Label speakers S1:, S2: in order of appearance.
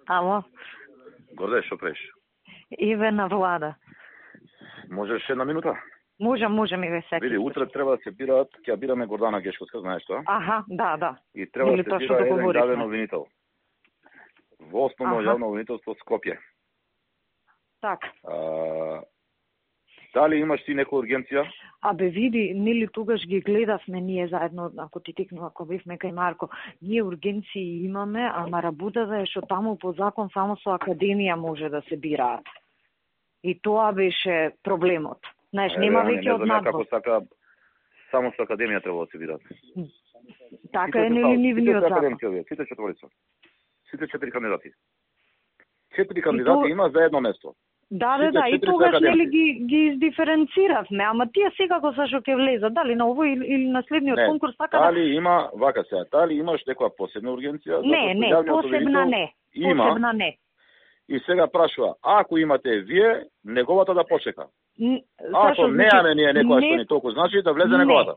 S1: Ало,
S2: Горде, што правиш?
S1: Иве на влада.
S2: Можеш една минута?
S1: Можем и ве сетите.
S2: Види, утре треба да се бираат, ќе бираме Гордана Гешковска, знаеш тоа?
S1: Аха, да.
S2: И треба
S1: Или
S2: да
S1: тоа
S2: се
S1: што
S2: бира еден
S1: договоривме.
S2: главен обвинител. Во основно јавно обвинителство Скопје.
S1: Така.
S2: Дали имаш ти некоја ургенција?
S1: Абе види, нели тогаш ги гледавме ние заедно, ако ти текнува, ако бевме кај Марко, ние ургенции имаме, ама работата е што таму по закон само со академија може да се бираат. И тоа беше проблемот. Знаеш, нема веќе од надвор.
S2: Како сака, само со академија треба да се бираат.
S1: Така е нели нивниот закон.
S2: Сите четворица. Сите 4 кандидати. 4 кандидати има за едно место.
S1: Да, и тогаш нели ги издиференциравме, ама тие секако са што ќе влезат, дали на овој или на следниот конкурс, така
S2: дали има, вака сега, дали имаш некоја посебна ургенција?
S1: Не, посебна не.
S2: И сега прашува, ако имате вие, неговата да почека. Ако неаме ние некоја што ни толку значи, да влезе неговата.